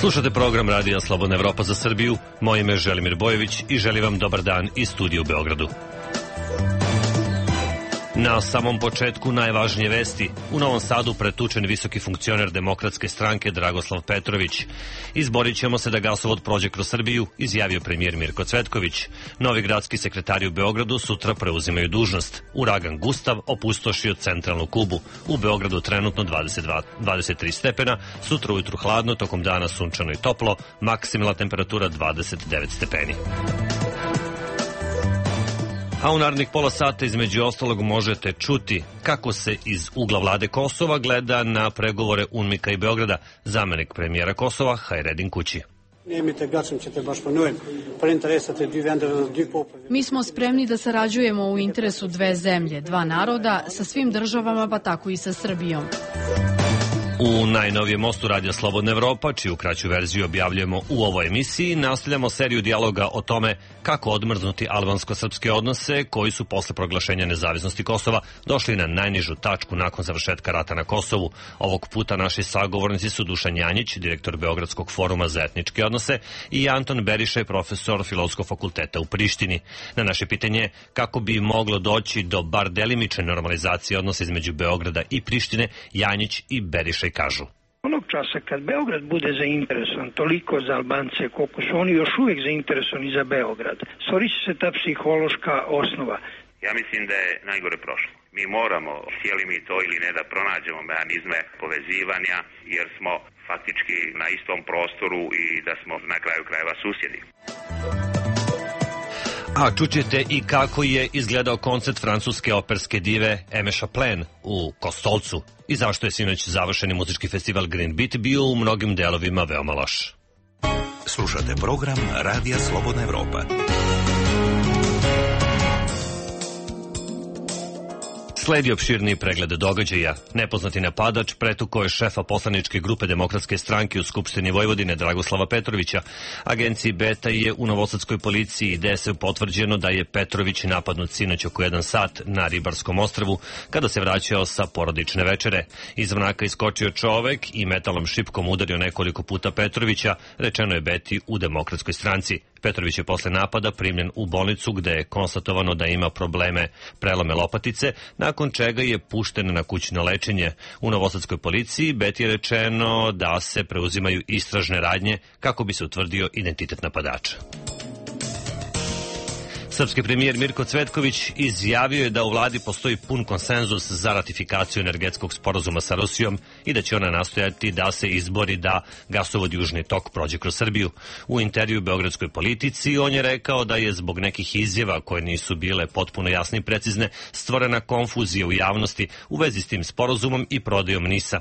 Slušate program Radija Slobodna Evropa za Srbiju. Moje ime je Želimir Bojević i želim vam dobar dan iz studija u Beogradu. Na samom početku najvažnije vesti. U Novom Sadu pretučen visoki funkcioner Demokratske stranke Dragoslav Petrović. Izborit ćemo se da gasovod prođe kroz Srbiju, izjavio premijer Mirko Cvetković. Novi gradski sekretari u Beogradu sutra preuzimaju dužnost. Uragan Gustav opustošio centralnu Kubu. U Beogradu trenutno 23 stepena, sutra ujutru hladno, tokom dana sunčano i toplo, maksimalna temperatura 29 stepeni. A u narednih pola sata između ostalog možete čuti kako se iz ugla vlade Kosova gleda na pregovore UNMIK-a i Beograda. Zamenik premijera Kosova Hajredin Kući. Mi smo spremni da sarađujemo u interesu dve zemlje, dva naroda, sa svim državama, pa tako i sa Srbijom. U najnovijem mostu Radija Slobodna Evropa, čiju kraću verziju objavljujemo u ovoj emisiji, nastavljamo seriju dijaloga o tome kako odmrznuti albansko-srpske odnose koji su posle proglašenja nezavisnosti Kosova došli na najnižu tačku nakon završetka rata na Kosovu. Ovog puta naši sagovornici su Dušan Janjić, direktor Beogradskog foruma za etničke odnose, i Anton Berišaj, profesor Filozofskog fakulteta u Prištini. Na naše pitanje kako bi moglo doći do bar delimične normalizacije odnosa između Beograda i Prištine, Janjić i Berišaj kažu. Onog časa kad Beograd bude zainteresovan toliko za Albance koliko su oni još uvijek zainteresovani za Beograd, stvorit će se ta psihološka osnova. Ja mislim da je najgore prošlo. Mi moramo, htjeli mi to ili ne, da pronađemo mehanizme povezivanja jer smo faktički na istom prostoru i da smo na kraju krajeva susjedi. A čućete i kako je izgledao koncert francuske operske dive Aimé Chapelain u Kostolcu i zašto je sinoć završeni muzički festival Green Beat bio u mnogim delovima veoma loš. Slušate program Radija Slobodna Evropa. Sledi opširniji pregled događaja. Nepoznati napadač pretukao je šefa poslaničke grupe Demokratske stranke u Skupštini Vojvodine Dragoslava Petrovića. Agenciji Beta je u novosadskoj policiji i DS potvrđeno da je Petrović napadnut sinoć oko 1 sat na Ribarskom ostrvu kada se vraćao sa porodične večere. Iz mraka iskočio čovek i metalom šipkom udario nekoliko puta Petrovića, rečeno je Beti u Demokratskoj stranci. Petrović je posle napada primljen u bolnicu gde je konstatovano da ima probleme prelome lopatice, nakon čega je pušten na kućno lečenje. U novosadskoj policiji Beti je rečeno da se preuzimaju istražne radnje kako bi se utvrdio identitet napadača. Srpski premijer Mirko Cvetković izjavio je da u vladi postoji pun konsenzus za ratifikaciju energetskog sporazuma sa Rusijom i da će ona nastojati da se izbori da gasovod Južni tok prođe kroz Srbiju. U intervju Beogradskoj politici on je rekao da je zbog nekih izjava koje nisu bile potpuno jasne i precizne stvorena konfuzija u javnosti u vezi s tim sporazumom i prodajom NIS-a.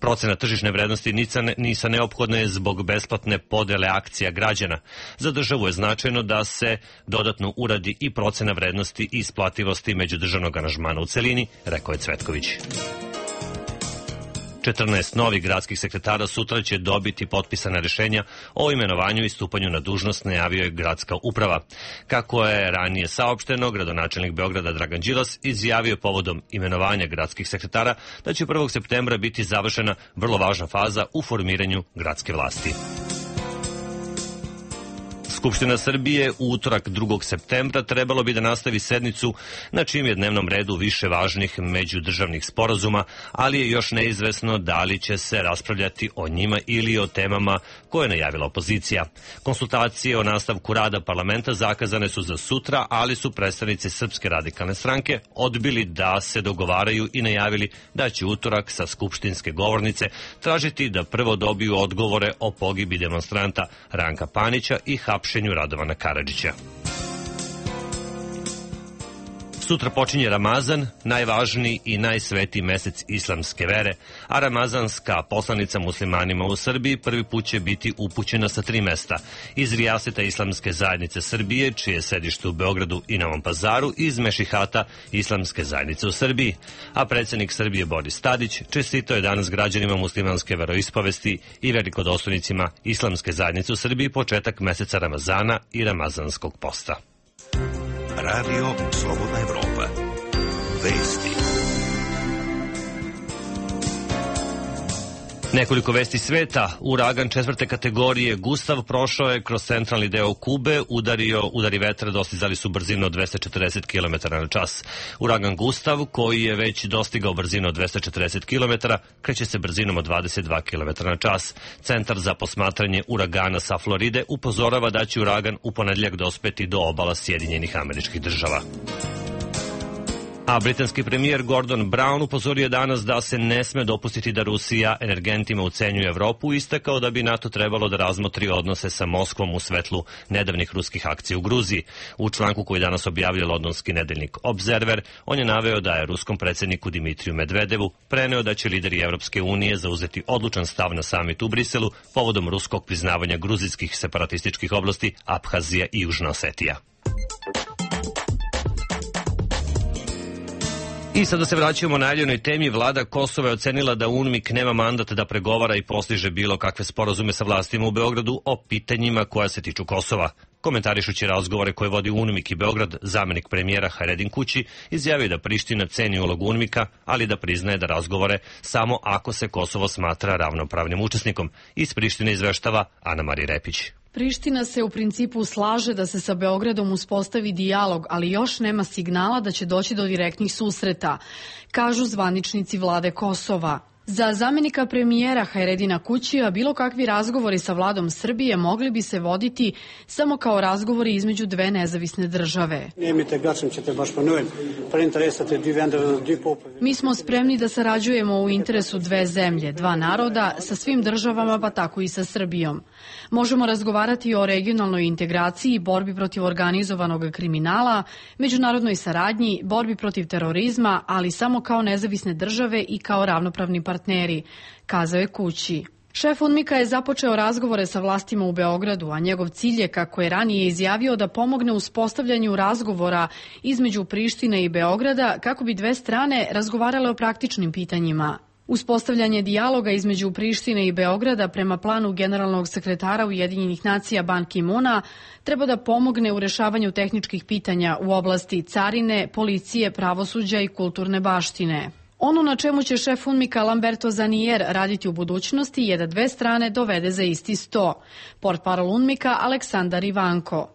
Procena tržišne vrednosti NIS-a neophodna je zbog besplatne podele akcija građana. Za državu je značajno da se dodatno uradi i procena vrednosti i isplativosti međudržavnog aranžmana u celini, rekao je Cvetković. 14 novih gradskih sekretara sutra će dobiti potpisana rešenja o imenovanju i stupanju na dužnost, najavio je gradska uprava. Kako je ranije saopšteno, gradonačelnik Beograda Dragan Đilas izjavio povodom imenovanja gradskih sekretara da će 1. septembra biti završena vrlo važna faza u formiranju gradske vlasti. Skupština Srbije u utorak 2. septembra trebalo bi da nastavi sednicu na čijem je dnevnom redu više važnih međudržavnih sporazuma, ali je još neizvesno da li će se raspravljati o njima ili o temama koje je najavila opozicija. Konsultacije o nastavku rada parlamenta zakazane su za sutra, ali su predstavnici Srpske radikalne stranke odbili da se dogovaraju i najavili da će utorak sa skupštinske govornice tražiti da prvo dobiju odgovore o pogibi demonstranta Ranka Panića i hapšenju Radovana Karadžića. Sutra počinje Ramazan, najvažniji i najsvetiji mesec islamske vere, a ramazanska poslanica muslimanima u Srbiji prvi put će biti upućena sa 3 mesta. Iz Rijaseta Islamske zajednice Srbije, čije je sedište u Beogradu i Novom Pazaru, iz Mešihata Islamske zajednice u Srbiji. A predsjednik Srbije Boris Tadić čestitao je danas građanima muslimanske veroispovesti i velikodostojnicima Islamske zajednice u Srbiji početak meseca Ramazana i ramazanskog posta. Radio Slobodna Evropa. Vesti. Nekoliko vesti sveta. Uragan 4. kategorije Gustav prošao je kroz centralni deo Kube, udari vetra dostizali su brzinu od 240 km na čas. Uragan Gustav, koji je već dostigao brzinu od 240 km, kreće se brzinom od 22 km na čas. Centar za posmatranje uragana sa Floride upozorava da će uragan u ponedeljak dospeti do obala Sjedinjenih Američkih Država. A britanski premijer Gordon Brown upozorio danas da se ne sme dopustiti da Rusija energentima ucenjuje Evropu i istakao da bi NATO trebalo da razmotri odnose sa Moskvom u svetlu nedavnih ruskih akcija u Gruziji. U članku koji danas objavio londonski nedeljnik Observer, on je naveo da je ruskom predsjedniku Dimitriju Medvedevu preneo da će lideri Evropske unije zauzeti odlučan stav na samitu u Briselu povodom ruskog priznavanja gruzijskih separatističkih oblasti Abhazija i Južna Osetija. I sada se vraćamo najavljenoj temi. Vlada Kosova je ocenila da UNMIK nema mandat da pregovara i postiže bilo kakve sporazume sa vlastima u Beogradu o pitanjima koja se tiču Kosova. Komentarišući razgovore koje vodi UNMIK i Beograd, zamenik premijera Haredin Kući izjavio da Priština ceni ulogu UNMIK-a, ali da priznaje da razgovore samo ako se Kosovo smatra ravnopravnim učesnikom. Iz Prištine izveštava Ana Marija Repić. Priština se u principu slaže da se sa Beogradom uspostavi dijalog, ali još nema signala da će doći do direktnih susreta, kažu zvaničnici vlade Kosova. Za zamenika premijera Haredina Kućija bilo kakvi razgovori sa vladom Srbije mogli bi se voditi samo kao razgovori između dve nezavisne države. Mi smo spremni da sarađujemo u interesu dve zemlje, dva naroda, sa svim državama pa tako i sa Srbijom. Možemo razgovarati o regionalnoj integraciji, borbi protiv organizovanog kriminala, međunarodnoj saradnji, borbi protiv terorizma, ali samo kao nezavisne države i kao ravnopravni partneri, kazao je Kući. Šef UNMIK-a je započeo razgovore sa vlastima u Beogradu, a njegov cilj je, kako je ranije izjavio, da pomogne u uspostavljanju razgovora između Prištine i Beograda kako bi dve strane razgovarale o praktičnim pitanjima. Uspostavljanje dijaloga između Prištine i Beograda prema planu generalnog sekretara Ujedinjenih nacija Ban Ki-muna treba da pomogne u rešavanju tehničkih pitanja u oblasti carine, policije, pravosuđa i kulturne baštine. Ono na čemu će šef UNMIK-a Lamberto Zanier raditi u budućnosti je da dve strane dovede za isti sto. Portparol UNMIK-a Aleksandar Ivanko.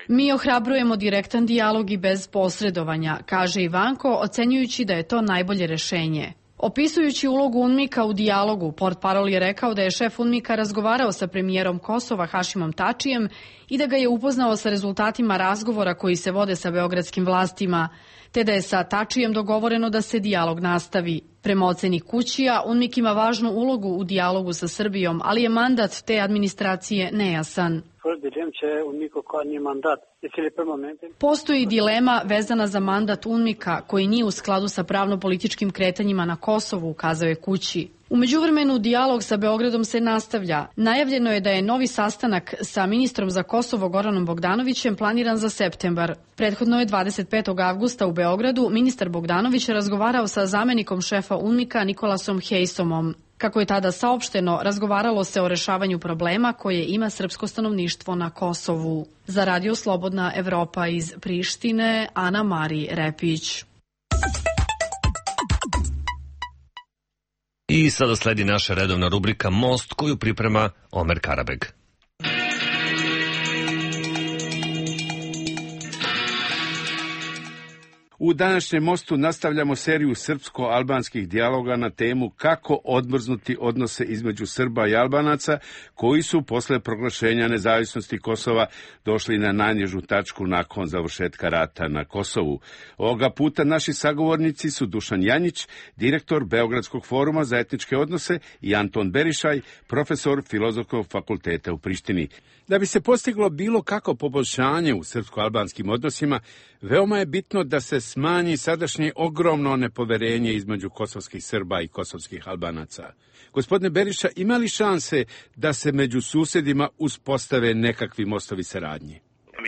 Mi ohrabrujemo direktan dijalog i bez posredovanja, kaže Ivanko, ocenjujući da je to najbolje rešenje. Opisujući ulogu UNMIK-a u dijalogu, portparol je rekao da je šef UNMIK-a razgovarao sa premijerom Kosova Hašimom Tačijem i da ga je upoznao sa rezultatima razgovora koji se vode sa beogradskim vlastima, te da je sa Tačijem dogovoreno da se dijalog nastavi. Prema oceni Kućija, UNMIK ima važnu ulogu u dijalogu sa Srbijom, ali je mandat te administracije nejasan. Postoji dilema vezana za mandat UNMIK-a koji nije u skladu sa pravno-političkim kretanjima na Kosovu, ukazao je Kući. U međuvremenu dijalog sa Beogradom se nastavlja. Najavljeno je da je novi sastanak sa ministrom za Kosovo Goranom Bogdanovićem planiran za septembar. Prethodno je 25. avgusta u Beogradu ministar Bogdanović razgovarao sa zamenikom šefa UNMIK-a Nikolasom Hejsomom. Kako je tada saopšteno, razgovaralo se o rešavanju problema koje ima srpsko stanovništvo na Kosovu. Za Radio Slobodna Evropa iz Prištine, Ana Marija Repić. I sada sledi naša redovna rubrika Most, koju priprema Omer Karabeg. U današnjem Mostu nastavljamo seriju srpsko-albanskih dijaloga na temu kako odmrznuti odnose između Srba i Albanaca, koji su posle proglašenja nezavisnosti Kosova došli na najnižu tačku nakon završetka rata na Kosovu. Ovoga puta naši sagovornici su Dušan Janjić, direktor Beogradskog foruma za etničke odnose, i Anton Berišaj, profesor Filozofskog fakulteta u Prištini. Da bi se postiglo bilo kako poboljšanje u srpsko-albanskim odnosima, veoma je bitno da se smanji sadašnje ogromno nepoverenje između kosovskih Srba i kosovskih Albanaca. Gospodine Beriša, ima li šanse da se među susjedima uspostave nekakvi mostovi saradnje?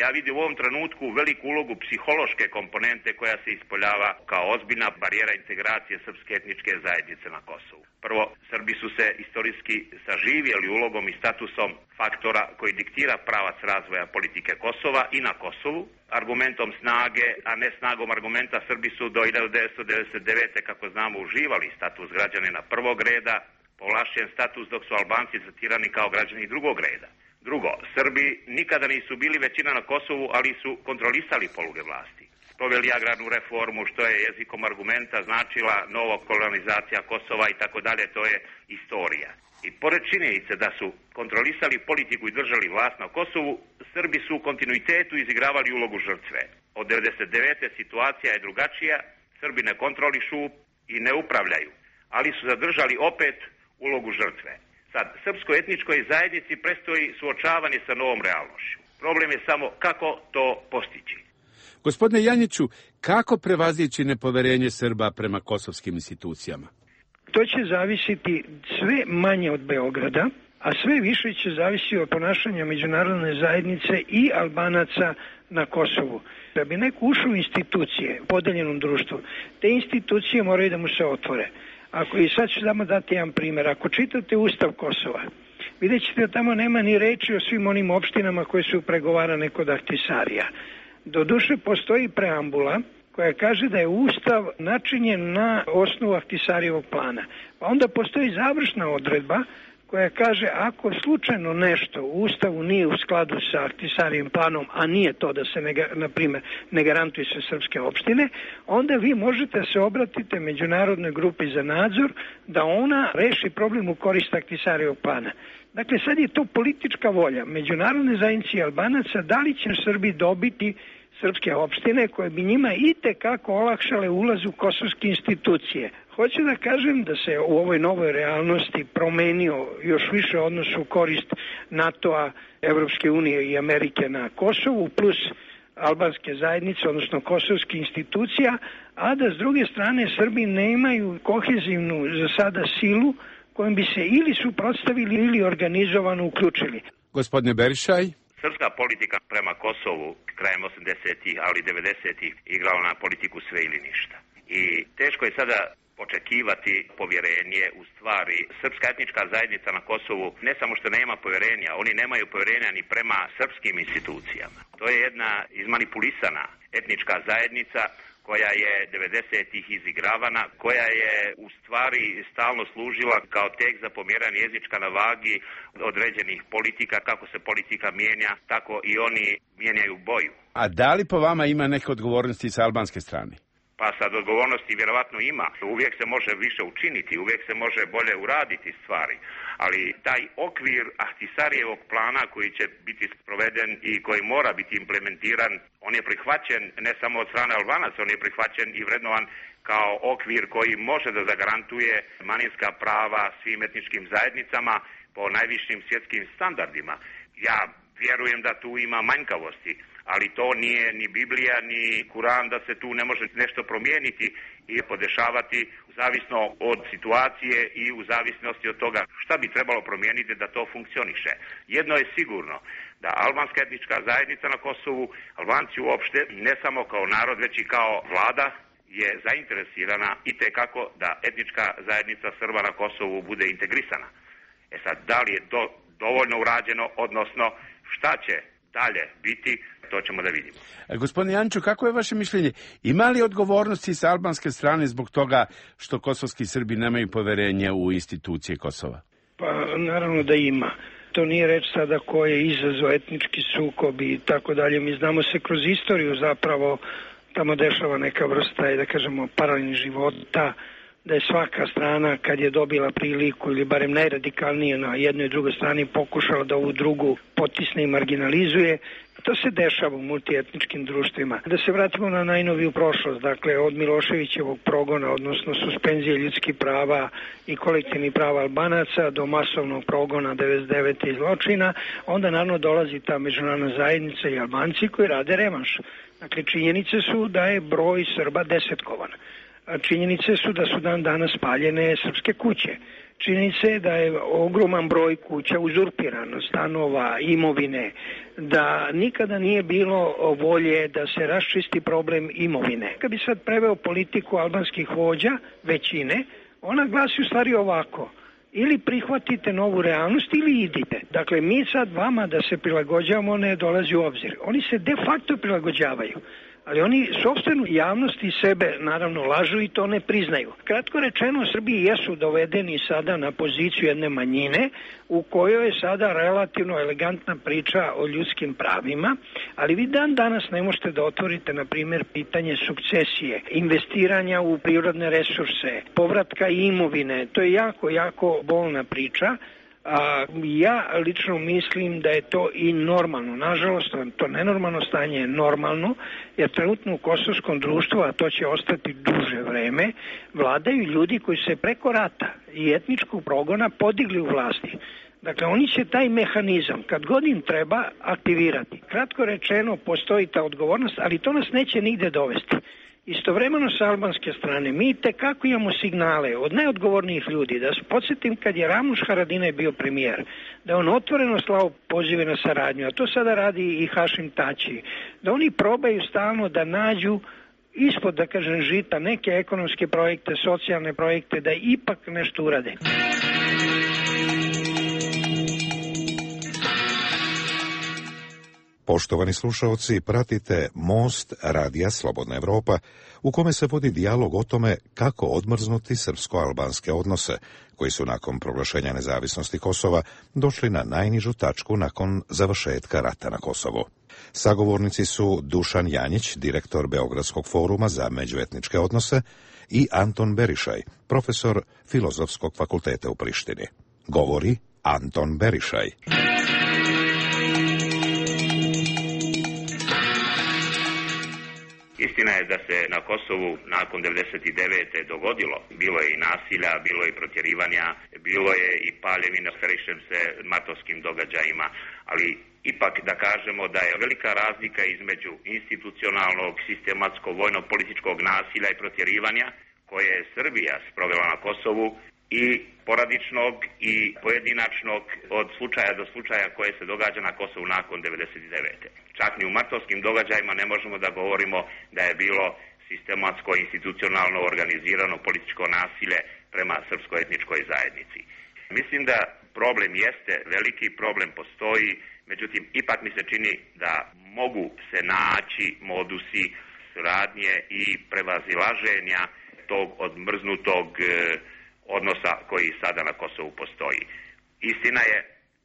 Ja vidim u ovom trenutku veliku ulogu psihološke komponente koja se ispoljava kao ozbiljna barijera integracije srpske etničke zajednice na Kosovu. Prvo, Srbi su se istorijski saživjeli ulogom i statusom faktora koji diktira pravac razvoja politike Kosova i na Kosovu. Argumentom snage, a ne snagom argumenta, Srbi su do 1999. kako znamo uživali status građanina prvog reda, povlašćen status dok su Albanci tretirani kao građani drugog reda. Drugo, Srbi nikada nisu bili većina na Kosovu, ali su kontrolisali poluge vlasti. Proveli agrarnu reformu, što je jezikom argumenta značila nova kolonizacija Kosova i tako dalje, to je istorija. I pored činjenice da su kontrolisali politiku i držali vlast na Kosovu, Srbi su u kontinuitetu izigravali ulogu žrtve. Od 1999. situacija je drugačija, Srbi ne kontrolišu i ne upravljaju, ali su zadržali opet ulogu žrtve. Sad, srpsko-etničkoj zajednici predstoji suočavanje sa novom realnošću. Problem je samo kako to postići. Gospodine Janjiću, kako prevazići nepoverenje Srba prema kosovskim institucijama? To će zavisiti sve manje od Beograda, a sve više će zavisiti od ponašanja međunarodne zajednice i Albanaca na Kosovu. Da bi neko ušao u institucije u podeljenom društvu, te institucije moraju da mu se otvore. I sad ću samo dati jedan primjer. Ako čitate Ustav Kosova, vidjet ćete da tamo nema ni reči o svim onim opštinama koje su pregovarane kod Ahtisarija. Doduše postoji preambula koja kaže da je Ustav načinjen na osnovu Ahtisarijevog plana. Pa onda postoji završna odredba koja kaže ako slučajno nešto u Ustavu nije u skladu sa Ahtisarijevim planom, a nije to da se, na primjer, ne garantuju se srpske opštine, onda vi možete se obratiti međunarodnoj grupi za nadzor da ona reši problem u korist Ahtisarijevog plana. Dakle, sad je to politička volja međunarodne zajednice i Albanaca, da li će Srbi dobiti srpske opštine koje bi njima itekako olakšale ulaz u kosovske institucije. Hoću da kažem da se u ovoj novoj realnosti promenio još više odnos u korist NATO-a, Evropske unije i Amerike na Kosovu, plus albanske zajednice, odnosno kosovske institucija, a da s druge strane Srbi nemaju kohezivnu za sada silu kojom bi se ili suprotstavili ili organizovano uključili. Gospodine Berišaj. Srpska politika prema Kosovu krajem 80-ih, ali 90-ih igrala na politiku sve ili ništa. I teško je sada očekivati povjerenje. U stvari, srpska etnička zajednica na Kosovu ne samo što nema povjerenja, oni nemaju povjerenja ni prema srpskim institucijama. To je jedna izmanipulisana etnička zajednica koja je 90-ih izigravana, koja je u stvari stalno služila kao tek za pomjeranje jezička na vagi određenih politika. Kako se politika mijenja, tako i oni mijenjaju boju. A da li po vama ima neke odgovornosti sa albanske strane? Pa sad odgovornosti vjerovatno ima. Uvijek se može više učiniti, uvijek se može bolje uraditi stvari. Ali taj okvir Ahtisarijevog plana koji će biti sproveden i koji mora biti implementiran, on je prihvaćen ne samo od strane Albanaca, on je prihvaćen i vrednovan kao okvir koji može da zagarantuje manjinska prava svim etničkim zajednicama po najvišim svjetskim standardima. Ja vjerujem da tu ima manjkavosti, ali to nije ni Biblija, ni Kuran da se tu ne može nešto promijeniti i podešavati zavisno od situacije i u zavisnosti od toga šta bi trebalo promijeniti da to funkcioniše. Jedno je sigurno, da albanska etnička zajednica na Kosovu, Albanci uopšte, ne samo kao narod, već i kao vlada, je zainteresirana itekako da etnička zajednica Srba na Kosovu bude integrisana. Sad, da li je to dovoljno urađeno, odnosno šta će dalje biti, to ćemo da vidimo. Gospodine Janču, kako je vaše mišljenje? Ima li odgovornosti sa albanske strane zbog toga što kosovski Srbi nemaju poverenje u institucije Kosova? Pa naravno da ima. To nije reč sada ko je izazvao etnički sukob i tako dalje. Mi znamo se kroz istoriju zapravo tamo dešava neka vrsta, da kažemo, paralelnih života, da je svaka strana kad je dobila priliku ili barem najradikalnije na jednoj i drugoj strani pokušala da ovu drugu potisne i marginalizuje. To se dešava u multietničkim društvima. Da se vratimo na najnoviju prošlost, dakle od Miloševićevog progona, odnosno suspenzije ljudskih prava i kolektivnih prava Albanaca do masovnog progona 99. i zločina, onda naravno dolazi ta međunarodna zajednica i Albanci koji rade revanš. Dakle, činjenice su da je broj Srba desetkovan. Činjenice su da su dan danas spaljene srpske kuće. Činjenica je da je ogroman broj kuća uzurpiran, stanova, imovine, da nikada nije bilo volje da se raščisti problem imovine. Kad bi sad preveo politiku albanskih vođa, većine, ona glasi u stvari ovako: ili prihvatite novu realnost ili idite. Dakle, mi sad vama da se prilagođavamo ne dolazi u obzir. Oni se de facto prilagođavaju, ali oni sopstvenu javnost i sebe naravno lažu i to ne priznaju. Kratko rečeno, Srbiji jesu dovedeni sada na poziciju jedne manjine u kojoj je sada relativno elegantna priča o ljudskim pravima, ali vi dan danas ne možete da otvorite, na primjer, pitanje sukcesije, investiranja u prirodne resurse, povratka imovine. To je jako bolna priča. Ja lično mislim da je to i normalno. Nažalost, to nenormalno stanje je normalno, jer trenutno u kosovskom društvu, a to će ostati duže vreme, vladaju ljudi koji se preko rata i etničkog progona podigli u vlasti. Dakle, oni će taj mehanizam, kad god im treba, aktivirati. Kratko rečeno, postoji ta odgovornost, ali to nas neće nigde dovesti. Istovremeno sa albanske strane mi tekako imamo signale od najodgovornijih ljudi. Da se podsjetim, kad je Ramuš Haradinaj bio premijer, da on otvoreno slao pozive na saradnju, a to sada radi i Hašim Tači, da oni probaju stalno da nađu ispod, da kažem, žita neke ekonomske projekte, socijalne projekte, da ipak nešto urade. Poštovani slušalci, pratite Most Radija Slobodna Evropa, u kome se vodi dijalog o tome kako odmrznuti srpsko-albanske odnose, koji su nakon proglašenja nezavisnosti Kosova došli na najnižu tačku nakon završetka rata na Kosovu. Sagovornici su Dušan Janjić, direktor Beogradskog foruma za međuetničke odnose, i Anton Berišaj, profesor Filozofskog fakulteta u Prištini. Govori Anton Berišaj. Istina je da se na Kosovu nakon 1999. dogodilo. Bilo je i nasilja, bilo je i protjerivanja, bilo je i paljevina, srećem se martovskim događajima, ali ipak da kažemo da je velika razlika između institucionalnog, sistematskog, vojno-političkog nasilja i protjerivanja koje je Srbija sprovela na Kosovu i poradičnog i pojedinačnog od slučaja do slučaja koje se događa na Kosovu nakon 1999. Čak ni u martovskim događajima ne možemo da govorimo da je bilo sistematsko, institucionalno organizirano političko nasilje prema srpsko-etničkoj zajednici. Mislim da problem jeste, veliki problem postoji, međutim ipak mi se čini da mogu se naći modusi suradnje i prevazilaženja tog odmrznutog odnosa koji sada na Kosovu postoji. Istina je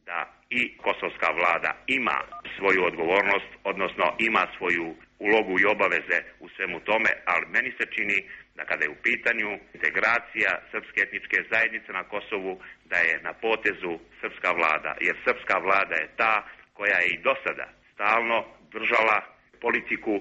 da i kosovska vlada ima svoju odgovornost, odnosno ima svoju ulogu i obaveze u svemu tome, ali meni se čini da kada je u pitanju integracija srpske etničke zajednice na Kosovu, da je na potezu srpska vlada, jer srpska vlada je ta koja je i do sada stalno držala politiku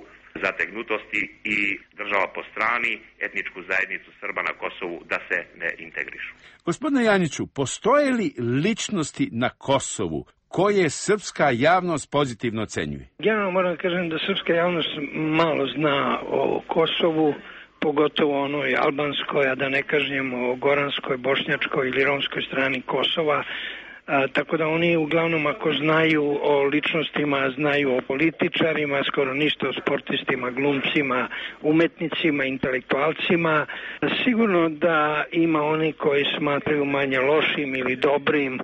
zategnutosti i država po strani etničku zajednicu Srba na Kosovu da se ne integrišu. Gospodine Janjiću, postoje li ličnosti na Kosovu koje srpska javnost pozitivno ocenjuje? Generalno moram da kažem da srpska javnost malo zna o Kosovu, pogotovo onoj albanskoj, a da ne kažem o goranskoj, bošnjačkoj ili romskoj strani Kosova. Tako da oni uglavnom ako znaju o ličnostima, znaju o političarima, skoro ništa o sportistima, glumcima, umetnicima, intelektualcima. Sigurno da ima oni koji smatraju manje lošim ili dobrim.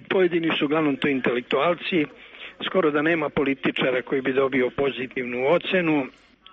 Pojedini su uglavnom to intelektualci. Skoro da nema političara koji bi dobio pozitivnu ocenu.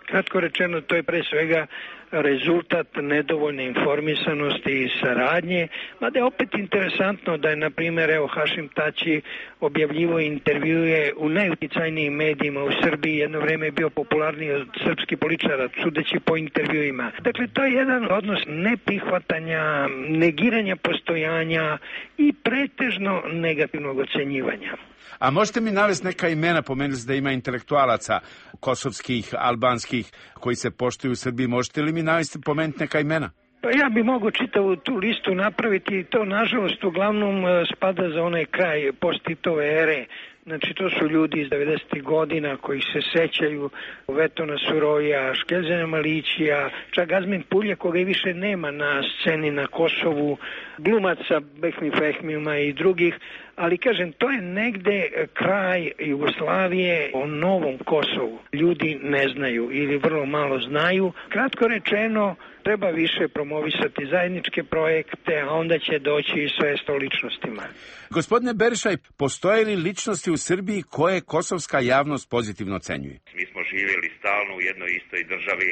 Kratko rečeno, to je pre svega rezultat nedovoljne informisanosti i saradnje, mada je opet interesantno da je, na primjer, Hašim Tači objavljivo intervjue u najuticajnijim medijima u Srbiji, jedno vreme je bio popularniji od srpskih političara, sudeći po intervjuima. Dakle, to je jedan odnos neprihvatanja, negiranja postojanja i pretežno negativnog ocenjivanja. A možete mi navesti neka imena, pomenuli ste da ima intelektualaca kosovskih, albanskih, koji se poštuju u Srbiji, možete li mi navesti, pomenuti neka imena? Pa ja bi mogao čitavu tu listu napraviti i to nažalost uglavnom spada za onaj kraj post-Titove ere. Znači, to su ljudi iz 90. godina koji se sećaju Vetona Suroja, Škezena Malićija, čak Azmin Pulje, koga i više nema na sceni na Kosovu, glumaca Behmi Fehmijuma i drugih, ali kažem, to je negde kraj Jugoslavije, o novom Kosovu. Ljudi ne znaju ili vrlo malo znaju. Kratko rečeno, treba više promovisati zajedničke projekte, a onda će doći i sve o ličnostima. Gospodine Berišaj, postoje li ličnosti u Srbiji koje kosovska javnost pozitivno ocenjuje? Mi smo živjeli stalno u jednoj istoj državi,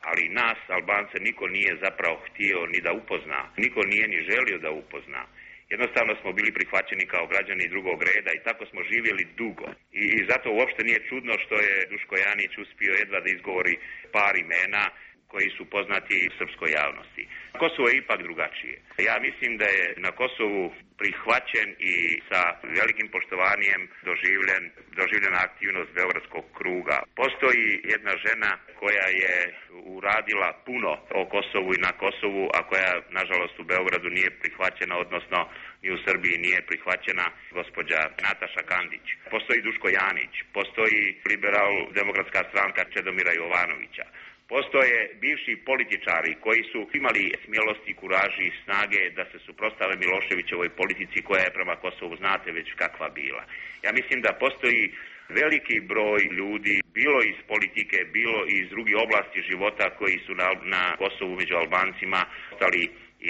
ali nas, Albance, niko nije zapravo htio ni da upozna, niko nije ni želio da upozna. Jednostavno smo bili prihvaćeni kao građani drugog reda i tako smo živjeli dugo. I zato uopšte nije čudno što je Duško Janić uspio jedva da izgovori par imena koji su poznati srpskoj javnosti. Kosovo je ipak drugačije. Ja mislim da je na Kosovu prihvaćen i sa velikim poštovanjem doživljena aktivnost Beogradskog kruga. Postoji jedna žena koja je uradila puno o Kosovu i na Kosovu, a koja, nažalost, u Beogradu nije prihvaćena, odnosno i u Srbiji nije prihvaćena, gospođa Nataša Kandić. Postoji Duško Janić, postoji liberal-demokratska stranka Čedomira Jovanovića. Postoje bivši političari koji su imali smjelosti, kuraži i snage da se suprotstave Miloševićevoj politici koja je prema Kosovu, znate već kakva bila. Ja mislim da postoji veliki broj ljudi, bilo iz politike, bilo iz drugih oblasti života koji su na Kosovu među Albancima ostali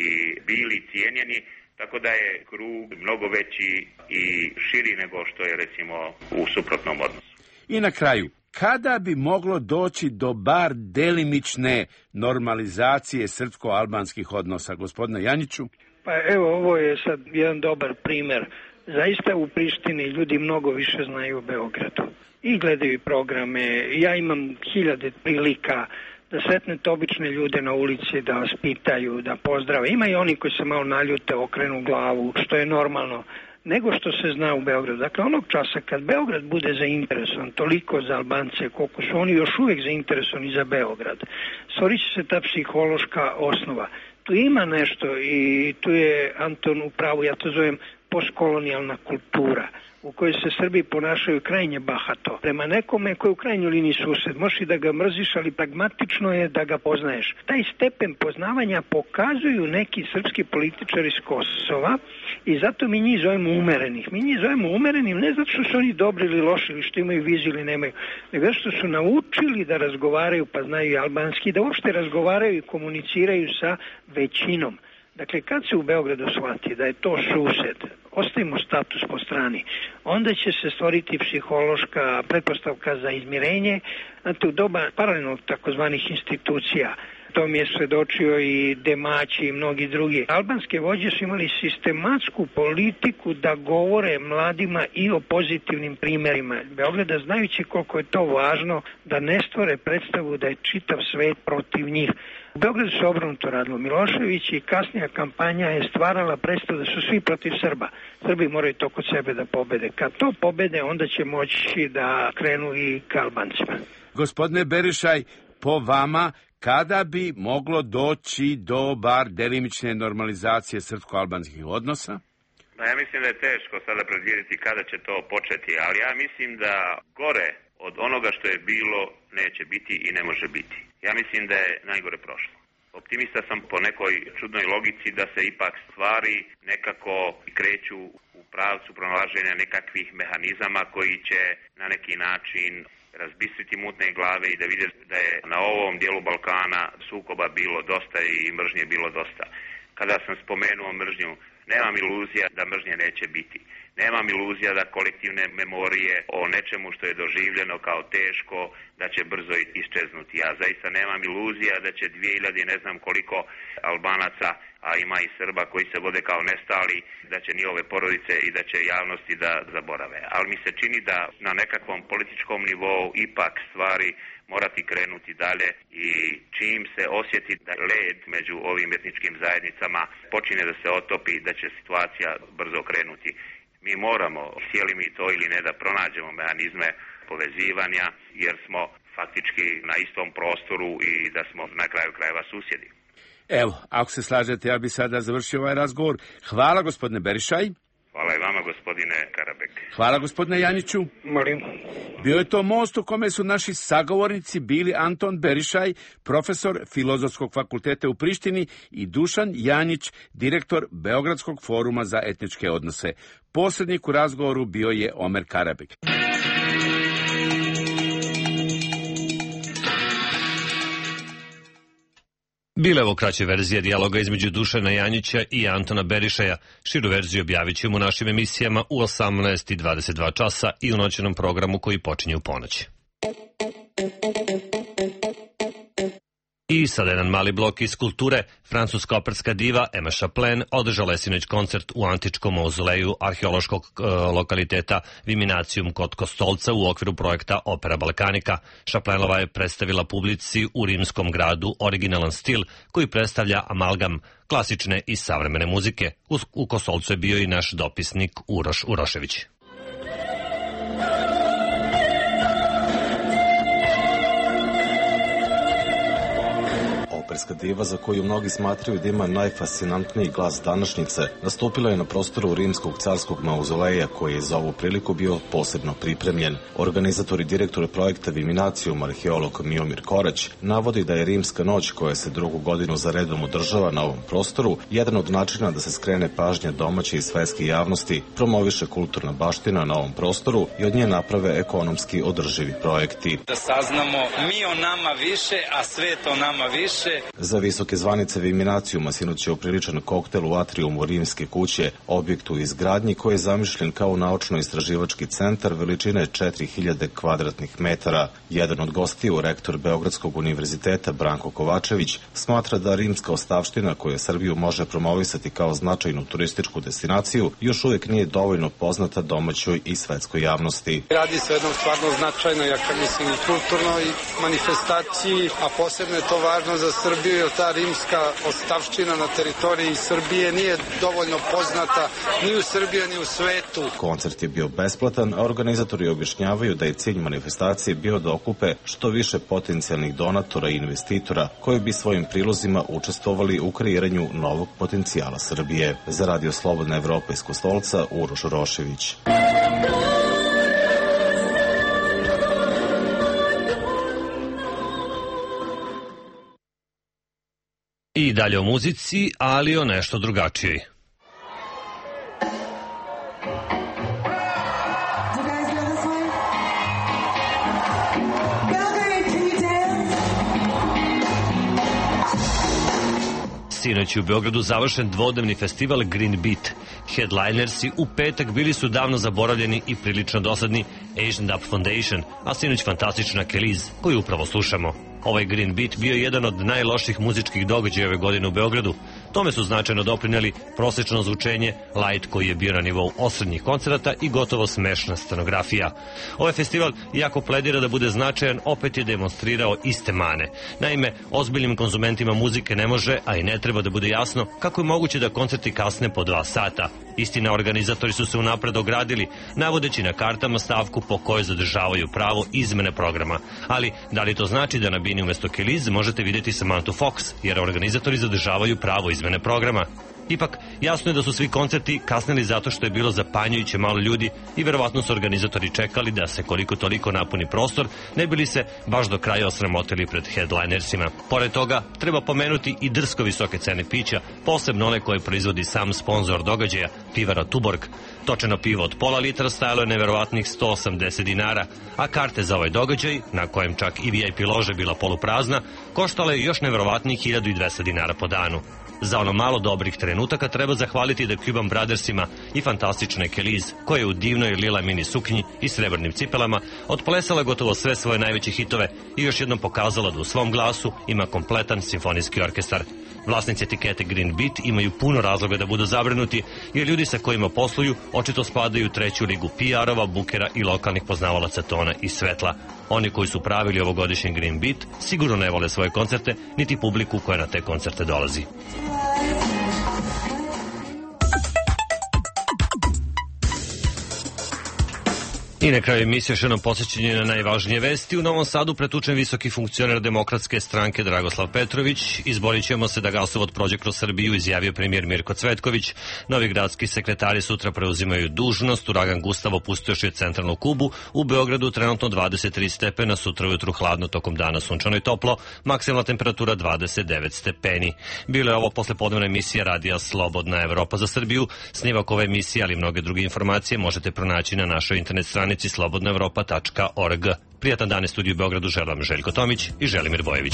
i bili cijenjeni, tako da je krug mnogo veći i širi nego što je recimo u suprotnom odnosu. I na kraju, kada bi moglo doći do bar delimične normalizacije srpsko-albanskih odnosa, gospodine Janiću? Pa evo, ovo je sad jedan dobar primer. Zaista u Prištini ljudi mnogo više znaju o Beogradu i gledaju programe. Ja imam hiljade prilika da sretnete obične ljude na ulici, da vas pitaju, da pozdrave. Ima i oni koji se malo naljute, okrenu glavu, što je normalno, nego što se zna u Beogradu. Dakle, onog časa kad Beograd bude zainteresovan toliko za Albance, koliko su oni još uvijek zainteresovani za Beograd, stvorit će se ta psihološka osnova. Tu ima nešto i tu je Anton u pravu, ja to zovem postkolonijalna kultura, u kojoj se Srbi ponašaju krajnje bahato. Prema nekome koji je u krajnjoj liniji sused, možeš i da ga mrziš, ali pragmatično je da ga poznaješ. Taj stepen poznavanja pokazuju neki srpski političari iz Kosova i zato mi njih zovemo umerenih. Mi njih zovemo umerenim ne zato što su oni dobri ili loši ili što imaju viziju ili nemaju, nego što su naučili da razgovaraju, pa znaju i albanski, da uopšte razgovaraju i komuniciraju sa većinom. Dakle, kad se u Beogradu shvati da je to sused, ostavimo status po strani, onda će se stvoriti psihološka pretpostavka za izmirenje, znate, u doba paralelnog takozvanih institucija. To mi je svedočio i Demaći i mnogi drugi. Albanske vođe su imali sistematsku politiku da govore mladima i o pozitivnim primjerima Beograda, znajući koliko je to važno da ne stvore predstavu da je čitav svet protiv njih. U Beogradu se obrnuto radilo. Milošević i kasnija kampanja je stvarala predstavu da su svi protiv Srba. Srbi moraju to kod sebe da pobede. Kad to pobede, onda će moći da krenu i ka Albancima. Gospodine Berišaj, po vama, kada bi moglo doći do bar delimične normalizacije srpsko-albanskih odnosa? Ja mislim da je teško sada predvidjeti kada će to početi, ali ja mislim da gore od onoga što je bilo neće biti i ne može biti. Ja mislim da je najgore prošlo. Optimista sam po nekoj čudnoj logici da se ipak stvari nekako kreću u pravcu pronalaženja nekakvih mehanizama koji će na neki način razbistriti mutne glave i da vide da je na ovom dijelu Balkana sukoba bilo dosta i mržnje bilo dosta. Kada sam spomenuo mržnju, nemam iluzija da mržnje neće biti. Nemam iluzija da kolektivne memorije o nečemu što je doživljeno kao teško, da će brzo isčeznuti. Ja zaista nemam iluzija da će 2000 ne znam koliko Albanaca, a ima i Srba koji se vode kao nestali, da će njihove porodice i da će javnosti da zaborave. Ali mi se čini da na nekakvom političkom nivou ipak stvari morati krenuti dalje i čim se osjeti da led među ovim etničkim zajednicama počine da se otopi, da će situacija brzo krenuti. Mi moramo, htjeli mi to ili ne, da pronađemo mehanizme povezivanja, jer smo faktički na istom prostoru i da smo na kraju krajeva susjedi. Evo, ako se slažete, ja bi sada završio ovaj razgovor. Hvala, gospodine Berišaj. Hvala i vama, gospodine Karabek. Hvala, gospodine Janjiću. Molim. Bio je to most u kome su naši sagovornici bili Anton Berišaj, profesor Filozofskog fakulteta u Prištini, i Dušan Janjić, direktor Beogradskog foruma za etničke odnose. Posrednik u razgovoru bio je Omer Karabek. Bila je ovo kraća verzija dijaloga između Dušana Janjića i Antona Berišaja. Širu verziju objavit ćemo u našim emisijama u 18:22 časa i u noćnom programu koji počinje u ponoć. I sada jedan mali blok iz kulture. Francuska operska diva Emma Chaplin održala je sinoć koncert u antičkom mauzoleju arheološkog lokaliteta Viminacium kod Kostolca u okviru projekta Opera Balkanika. Chaplinova je predstavila publici u rimskom gradu originalan stil koji predstavlja amalgam klasične i savremene muzike. U Kostolcu je bio i naš dopisnik Uroš Urošević. Operska diva, za koju mnogi smatraju da ima najfascinantniji glas današnjice, nastupila je na prostoru rimskog carskog mauzoleja, koji je za ovu priliku bio posebno pripremljen. Organizator i direktor projekta Viminacium, arheolog Miomir Korać, navodi da je Rimska noć, koja se drugu godinu za redom održava na ovom prostoru, jedan od načina da se skrene pažnja domaće i svetske javnosti, promoviše kulturna baština na ovom prostoru i od nje naprave ekonomski održivi projekti. Da saznamo mi o nama više, a svet o nama više. Za visoke zvanice Viminacijuma sinoć je upriličan koktel u atriumu Rimske kuće, objektu u izgradnji koji je zamišljen kao naučno-istraživački centar veličine 4000 kvadratnih metara. Jedan od gostiju, rektor Beogradskog univerziteta Branko Kovačević, smatra da rimska ostavština koja Srbiju može promovisati kao značajnu turističku destinaciju još uvijek nije dovoljno poznata domaćoj i svetskoj javnosti. Radi se o jednom stvarno značajnoj, ja mislim, i kulturnoj manifestaciji, a posebno je to važno za Srbiju, jer ta rimska ostavština na teritoriji Srbije nije dovoljno poznata ni u Srbiji, ni u svetu. Koncert je bio besplatan, a organizatori objašnjavaju da je cilj manifestacije bio da okupe što više potencijalnih donatora i investitora koji bi svojim prilozima učestvovali u kreiranju novog potencijala Srbije. Za Radio Slobodna Evropa iz Kostolca, Uroš Urošević. I dalje o muzici, ali o nešto drugačijoj. Sinoć je u Beogradu završen dvodnevni festival Green Beat. Headlinersi u petak bili su davno zaboravljeni i prilično dosadni Asian Dub Foundation, a sinoć fantastična Keliz, koju upravo slušamo. Ovaj Green Beat bio je jedan od najloših muzičkih događaja ove godine u Beogradu. Tome su značajno doprinijeli prosječno zvučenje, light koji je bio na nivou osrednjih koncerata i gotovo smešna scenografija. Ovaj festival, iako pledira da bude značajan, opet je demonstrirao iste mane. Naime, ozbiljnim konzumentima muzike ne može, a i ne treba da bude jasno kako je moguće da koncerti kasne po 2 sata. Istina, organizatori su se unapred ogradili, navodeći na kartama stavku po kojoj zadržavaju pravo izmene programa. Ali, da li to znači da na bini umjesto Keliz možete vidjeti Samantha Fox, jer organizatori zadržavaju pravo izmene programa? Ipak, jasno je da su svi koncerti kasnili zato što je bilo zapanjujuće malo ljudi i verovatno su organizatori čekali da se koliko toliko napuni prostor, ne bili se baš do kraja osramotili pred headlinersima. Pored toga, treba pomenuti i drsko visoke cene pića, posebno one koje proizvodi sam sponsor događaja, pivara Tuborg. Točeno pivo od pola litra stajalo je neverovatnih 180 dinara, a karte za ovaj događaj, na kojem čak i VIP lože bila poluprazna, koštala je još neverovatnih 1200 dinara po danu. Za ono malo dobrih trenutaka treba zahvaliti The Cuban Brothersima i fantastične Keliz, koja je u divnoj lila mini suknji i srebrnim cipelama otplesala gotovo sve svoje najveće hitove i još jednom pokazala da u svom glasu ima kompletan simfonijski orkestar. Vlasnici etikete Green Beat imaju puno razloga da budu zabrinuti, jer ljudi sa kojima posluju očito spadaju u treću ligu PR-ova, bukera i lokalnih poznavalaca tona i svetla. Oni koji su pravili ovogodišnji Green Beat sigurno ne vole svoje koncerte, niti publiku koja na te koncerte dolazi. I na kraju emisije još jednom posjećenje na najvažnije vesti. U Novom Sadu pretučen visoki funkcioner Demokratske stranke Dragoslav Petrović. Izborit ćemo se da gasovod prođe kroz Srbiju, izjavio premijer Mirko Cvetković. Novi gradski sekretari sutra preuzimaju dužnost. Uragan Gustav opustošio centralnu Kubu. U Beogradu trenutno 23 stepena, sutra ujutru hladno, tokom dana sunčano i toplo. Maksimalna temperatura 29 stepeni. Bilo je ovo poslepodnevna emisija Radija Slobodna Evropa za Srbiju. Snimak ove emisije, ali i mnoge druge informacije možete pronaći na našoj internet stranici slobodnaevropa.org. Prijatan dan, u studiju u Beogradu želim Željko Tomić i Želimir Bojević.